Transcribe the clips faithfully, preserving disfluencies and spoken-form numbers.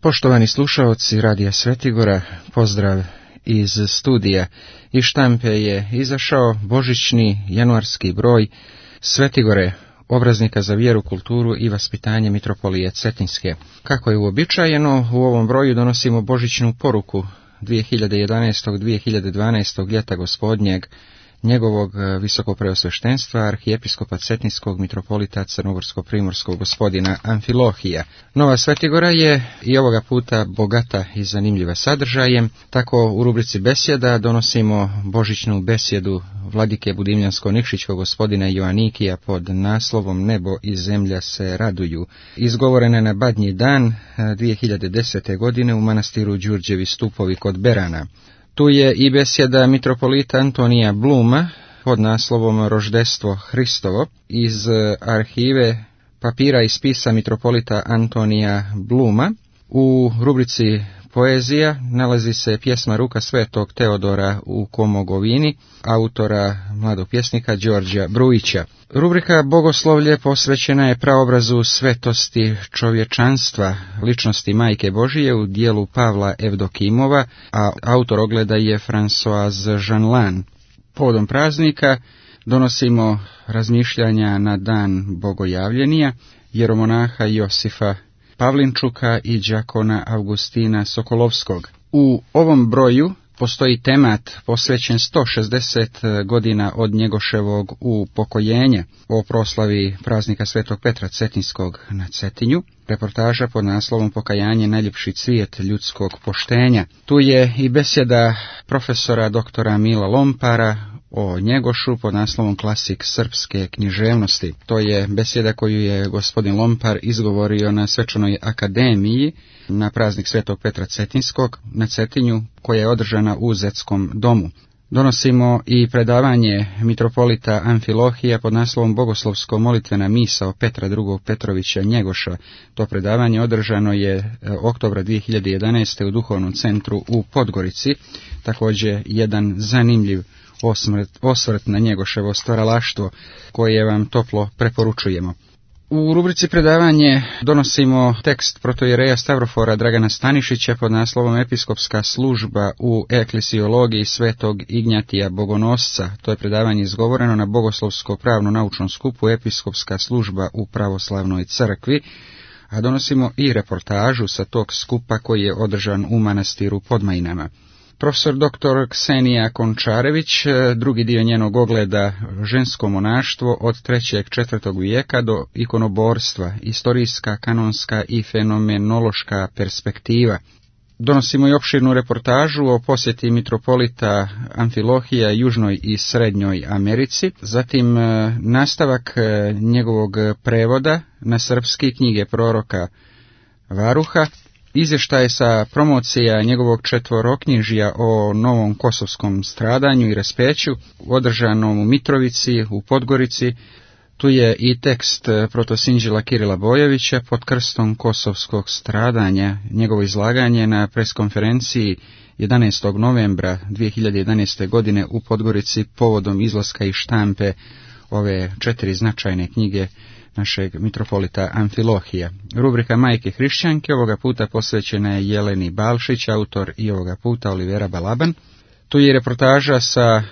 Poštovani slušaoci Radija Svetigora, pozdrav iz studija. Iz štampe je izašao božićni januarski broj Svetigore, obraznika za vjeru, kulturu i vaspitanje Mitropolije Cetinske. Kako je uobičajeno, u ovom broju donosimo božićnu poruku dvije hiljade jedanaestog dvije hiljade dvanaestog ljeta gospodnjeg, njegovog visokopreosveštenstva arhijepiskopa Cetinskog mitropolita Crnogorsko-primorskog gospodina Amfilohija. Nova Svetigora je i ovoga puta bogata i zanimljiva sadržajem, tako u rubrici besjeda donosimo božićnu besjedu vladike Budimljansko-Nikšićkog gospodina Joanikija pod naslovom Nebo i zemlja se raduju, izgovorena na Badnji dan dvije hiljade desete. godine u manastiru Đurđevi stupovi kod Berana. Tu je i besjeda mitropolita Antonija Bluma pod naslovom Roždestvo Hristovo iz arhive papira i spisa mitropolita Antonija Bluma. U rubrici poezija nalazi se pjesma Ruka svetog Teodora u Komogovini, autora mladog pjesnika Đorđa Brujića. Rubrika Bogoslovlje posvećena je praobrazu svetosti čovječanstva, ličnosti Majke Božije u dijelu Pavla Evdokimova, a autor ogleda je François Jeanlin. Povodom praznika donosimo razmišljanja na dan Bogojavljenija, jeromonaha Josifa Pavlinčuka i đakona Augustina Sokolovskog. U ovom broju postoji temat posvećen sto šezdeset godina od Njegoševog upokojenja o proslavi praznika Svetog Petra Cetinskog na Cetinju, reportaža pod naslovom Pokajanje najljepši cvijet ljudskog poštenja. Tu je i besjeda profesora doktora Mila Lompara o Njegošu pod naslovom Klasik srpske književnosti. To je besjeda koju je gospodin Lompar izgovorio na Svečanoj akademiji na praznik Svetog Petra Cetinskog na Cetinju, koja je održana u Zetskom domu. Donosimo i predavanje mitropolita Amfilohija pod naslovom Bogoslovsko-molitvena misao Petra drugog Petrovića Njegoša. To predavanje održano je oktobra dvije hiljade jedanaeste. u Duhovnom centru u Podgorici. Također jedan zanimljiv osvrt, osvrt na Njegoševo stvaralaštvo koje vam toplo preporučujemo. U rubrici predavanje donosimo tekst protojereja Stavrofora Dragana Stanišića pod naslovom Episkopska služba u eklesiologiji svetog Ignjatija Bogonosca. To je predavanje izgovoreno na Bogoslovsko-pravno-naučnom skupu Episkopska služba u pravoslavnoj crkvi, a donosimo i reportažu sa tog skupa koji je održan u manastiru Podmajinama. Profesor doktor Ksenija Končarević, drugi dio njenog ogleda žensko monaštvo od trećeg četvrtog vijeka do ikonoborstva, istorijska, kanonska i fenomenološka perspektiva. Donosimo i opširnu reportažu o posjeti mitropolita Amfilohija Južnoj i Srednjoj Americi, zatim nastavak njegovog prevoda na srpski knjige proroka Varuha, izvještaj sa promocija njegovog četvoroknjižja o novom kosovskom stradanju i raspeću, održanom u Mitrovici, u Podgorici. Tu je i tekst protosinđela Kirila Bojevića pod krstom kosovskog stradanja, njegovo izlaganje na preskonferenciji jedanaestog novembra dvije hiljade jedanaeste. godine u Podgorici povodom izlaska iz štampe ove četiri značajne knjige našeg mitropolita Amfilohija. Rubrika Majke hrišćanke ovoga puta posvećena je Jeleni Balšić, autor i ovoga puta Olivera Balaban. Tu je reportaža sa e,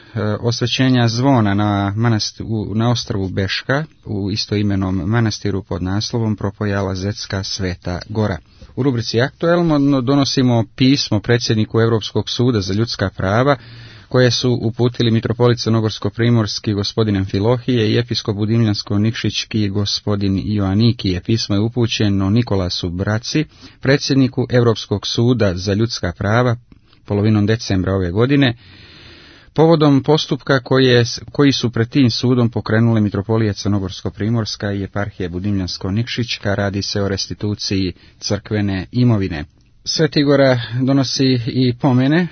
osvećenja zvona na, manast, u, na ostrvu Beška, u istoimenom manastiru pod naslovom Propojala Zetska Sveta Gora. U rubrici Aktuelno donosimo pismo predsjedniku Europskog suda za ljudska prava, koje su uputili mitropolit Crnogorsko-primorski gospodin Amfilohije i episkop Budimljansko-Nikšićki gospodin Joanikije. Pismo je upućeno Nikolasu Braci, predsjedniku Europskog suda za ljudska prava, polovinom decembra ove godine, povodom postupka koje, koji su pred tim sudom pokrenule mitropolija Crnogorsko-primorska i eparhije Budimljansko-Nikšićka. Radi se o restituciji crkvene imovine. Svetigora donosi i pomene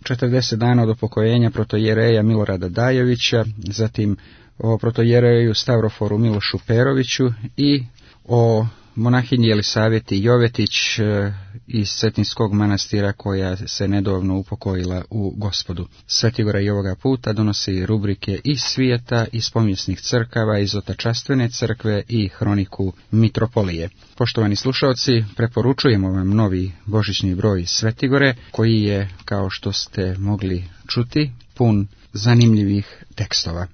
četrdeset dana od upokojenja protojereja Milorada Dajovića, zatim o protojereju Stavroforu Milošu Peroviću i o monahinji Jelisaveti Jovetić iz Cetinskog manastira, koja se nedavno upokojila u Gospodu. Svetigora i ovoga puta donosi rubrike iz svijeta, iz povijesnih crkava, iz otačastvene crkve i hroniku mitropolije. Poštovani slušalci, preporučujemo vam novi božićni broj Svetigore, koji je, kao što ste mogli čuti, pun zanimljivih tekstova.